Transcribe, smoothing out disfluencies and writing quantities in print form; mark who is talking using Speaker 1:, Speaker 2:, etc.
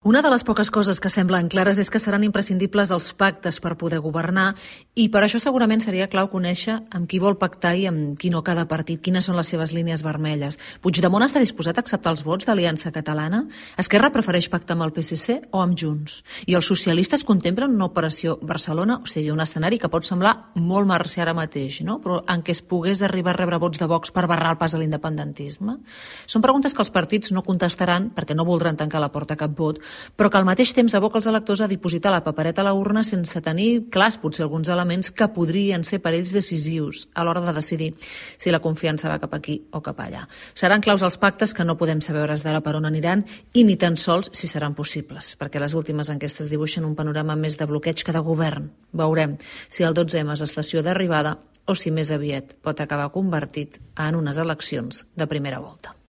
Speaker 1: Una de les poques coses que semblen clares és que seran imprescindibles els pactes per poder governar i per això segurament seria clau conèixer amb qui vol pactar i amb qui no cada partit, quines són les seves línies vermelles. Puigdemont està disposat a acceptar els vots d'Aliança Catalana? Esquerra prefereix pactar amb el PSC o amb Junts? I els socialistes contemplen una operació Barcelona, o sigui, un escenari que pot semblar molt marcià ara mateix, no? Però en què es pogués arribar a rebre vots de Vox per barrar el pas a l'independentisme? Són preguntes que els partits no contestaran perquè no voldran tancar la porta a cap vot, però que al mateix temps aboca els electors a dipositar la papereta a la urna sense tenir clars potser alguns elements que podrien ser per ells decisius a l'hora de decidir si la confiança va cap aquí o cap allà. Seran claus els pactes que no podem saber hores d'ara per on aniran i ni tan sols si seran possibles, perquè les últimes enquestes dibuixen un panorama més de bloqueig que de govern. Veurem si el 12M és estació d'arribada o si més aviat pot acabar convertit en unes eleccions de primera volta.